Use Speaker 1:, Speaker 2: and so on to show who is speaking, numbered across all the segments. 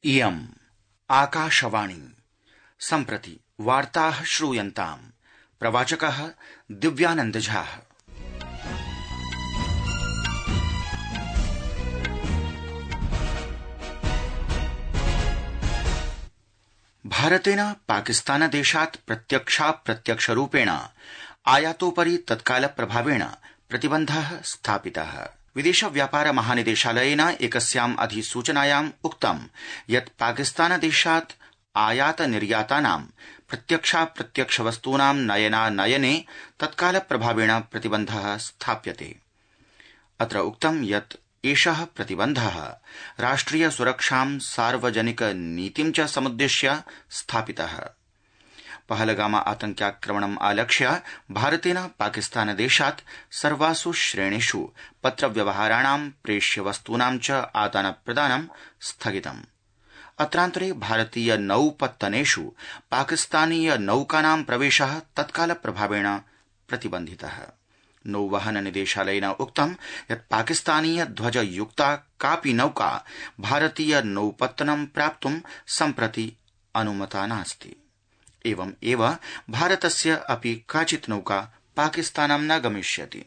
Speaker 1: इयम् आकाशवाणी सम्प्रति वार्ताः श्रूयन्ताम्। प्रवाचकः दिव्यानंद झा। भारतेन पाकिस्तानदेशात् प्रत्यक्षाप्रत्यक्षरूपेण आयातोपरि तत्काल प्रभावेण प्रतिबन्धः स्थापितः। विदेश व्यापार महानिदेशालयेन एकस्याम् अधिसूचनायाम् उक्तम् यत् पाकिस्तानदेशात् आयात निर्यातानां प्रत्यक्षाप्रत्यक्ष वस्तूनां नयनानयने तत्काल प्रभावेण प्रतिबन्धः स्थाप्यते। अत्र उक्तं यत् एषः प्रतिबन्धः राष्ट्रिय सुरक्षां सार्वजनिक नीतिं च समुद्दिश्य स्थापितः। पहलगाम आतंक्याक्रमणम् आलक्ष्य भारतेन पाकिस्तानदेशात् सर्वासु श्रेणीषु पत्रव्यवहाराणां प्रेष्य वस्तूनां च आदानप्रदानं स्थगितम्। अत्रान्तरे भारतीय नौपत्तनेषु पाकिस्तानीय नौकानां प्रवेशः तत्काल प्रभावेण प्रतिबन्धितः। नौवहन निदेशालयेन उक्तं यत् पाकिस्तानीय ध्वज युक्ता कापि नौका भारतीय नौपत्तनं प्राप्तुं सम्प्रति अनुमता नास्ति। एवं एव भारतस्य अपि काचित् नौका पाकिस्तानं न गमिष्यति।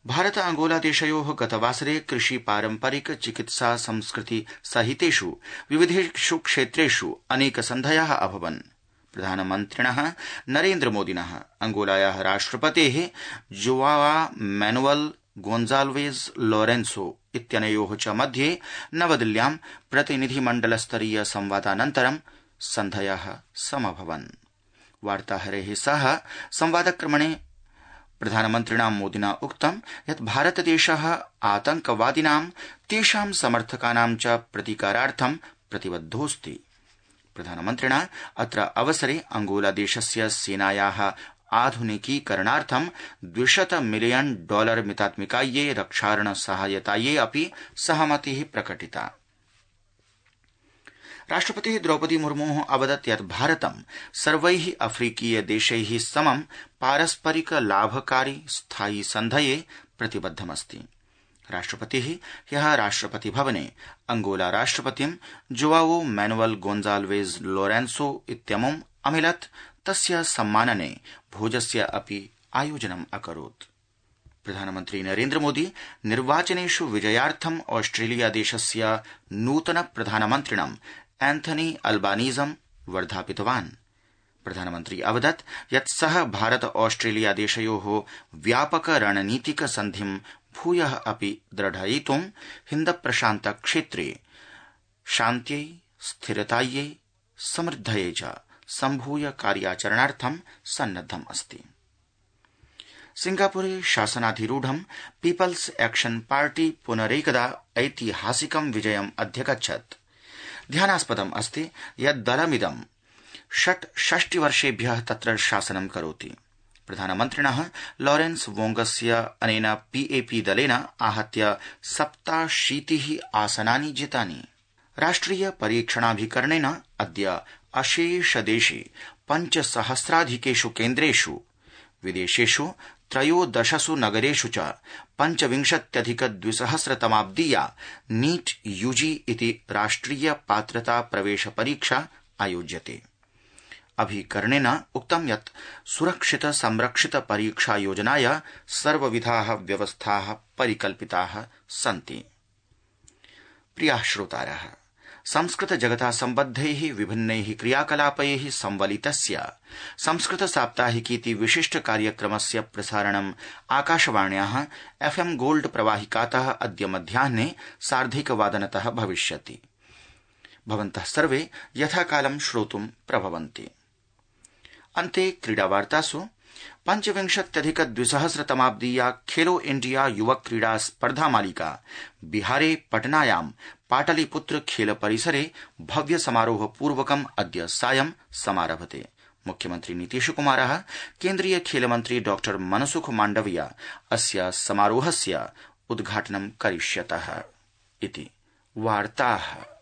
Speaker 1: भारत अंगोला देशयोः गतवासरे कृषि पारम्परिक चिकित्सा संस्कृति सहितेषु विविधेषु क्षेत्रेषु अनेक सन्धयः अभवन्। प्रधानमन्त्रिणः नरेन्द्र मोदिनः अंगोलायाः राष्ट्रपतेः जोआवा मैनुअल गोन्जाल्वेज लोरेन्सो इत्यनयोः च मध्ये नवदिल्ल्यां प्रतिनिधिमण्डलस्तरीय संवादानन्तरं सन्धयः समभवन्। वार्ताहरैः सह संवादक्रमणे प्रधानमन्त्रिणा मोदिना उक्तं यत् भारतदेशः आतंकवादिनां तेषां समर्थकानां च प्रतीकारार्थं प्रतिबद्धोऽस्ति। प्रधानमन्त्रिणा अत्र अवसरे अंगोलादेशस्य सेनायाः आधुनिकीकरणार्थं $200 मिलियन मितात्मिकायै रक्षारण सहायतायै अपि सहमतिः प्रकटिता। राष्ट्रपतिः द्रौपदी मुर्मुः अवदत् यत् भारतं सर्वैः अफ्रीकीय देशैः समं पारस्परिक लाभकारी स्थायि सन्धये प्रतिबद्धमस्ति। राष्ट्रपतिः ह्यः राष्ट्रपति भवने अंगोला राष्ट्रपतिं जोआवो मैनुअल गोन्जाल्वेज लोरेन्सो इत्यमुम् अमिलत्। तस्य सम्मानने भोजस्य अपि आयोजनम् अकरोत्। प्रधानमन्त्री नरेन्द्र मोदी निर्वाचनेषु विजयार्थम् ऑस्ट्रेलिया देशस्य नूतन प्रधानमन्त्रिणं एंथनी अल्बानीजं वर्धापितवान्। प्रधानमन्त्री अवदत् यत् सः भारत ऑस्ट्रेलिया देशयोः व्यापक रणनीतिक सन्धिं भूयः अपि दृढयितुं हिन्द प्रशान्त क्षेत्रे शान्त्यै स्थिरतायै समृद्धये च सम्भूय कार्याचरणार्थं सन्नद्धम् अस्ति। सिंगापुरे शासनाधिरूढं पीपल्स एक्शन पार्टी पुनरेकदा ऐतिहासिकं विजयम् अध्यगच्छत्। ध्यानास्पदम् अस्ति यत् दलमिदं 66 वर्षेभ्यः तत्र शासनं करोति। प्रधानमन्त्रिणः लॉरेंस वोंगस्य अनेन पीएपी दलेन आहत्य 87 आसनानि जितानि। राष्ट्रिय परीक्षणाभिकरणेन अद्य अशेषदेशे 5,000,000 केन्द्रेषु विदेशेषु 13 नगरेषु च 25,200 तमाब्दीया नीट यूजी इति राष्ट्रिय पात्रता प्रवेश परीक्षा आयोज्यते। अभिकरणेन उक्तं यत् सुरक्षित संरक्षित परीक्षा योजनाय सर्वविधाः व्यवस्थाः परिकल्पिताः सन्ति। प्रियाः श्रोतारः, संस्कृत जगता सम्बद्धैः विभिन्नैः क्रियाकलापैः संवलितस्य संस्कृत साप्ताहिकीति विशिष्ट कार्यक्रमस्य प्रसारणम् आकाशवाण्याः FM गोल्ड प्रवाहिकातः अद्य मध्याह्ने 1:30 भविष्यति। भवन्तः सर्वे यथाकालं श्रोतुं प्रभवन्ति। अन्ते क्रीडावार्तासु 25,200 तमाब्दीया खेलो इंडिया युवक क्रीडा स्पर्धा मालिका बिहारे पटनायां पाटलिपुत्र खेल परिसरे भव्य समारोह पूर्वकम् अद्य सायं समारभते। मुख्यमन्त्री नीतीश कुमारः केन्द्रीय खेलमन्त्री डॉ मनसुख माण्डविया अस्य समारोहस्य उद्घाटनं करिष्यतः इति वार्ताः।